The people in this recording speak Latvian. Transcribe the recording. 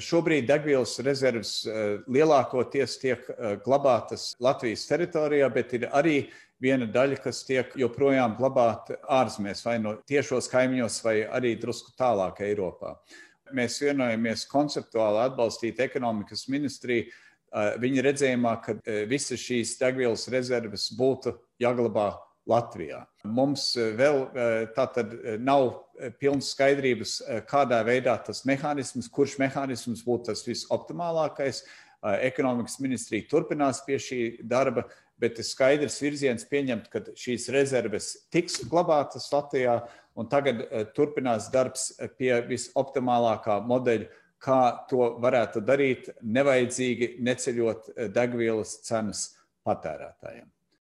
Šobrīd degvielas rezerves lielākoties tiek glabātas Latvijas teritorijā, bet ir arī viena daļa, kas tiek joprojām glabāta ārzemēs, vai no tiešos kaimiņos, vai arī drusku tālāk Eiropā. Mēs vienojamies konceptuāli atbalstīt ekonomikas ministriju viņa redzējumā, ka visas šīs degvielas rezerves būtu jāglabā Latvijā. Mums vēl tātad nav pilnas skaidrības, kādā veidā tas mehānisms, kurš mehānisms būtu tas visoptimālākais. Ekonomikas ministrija turpinās pie šī darba, bet ir skaidrs virziens pieņemt, ka šīs rezerves tiks glabātas Latvijā, un tagad turpinās darbs pie visoptimālākā modeļa, kā to varētu darīt, nevajadzīgi neceļot degvielas cenas patērētājiem.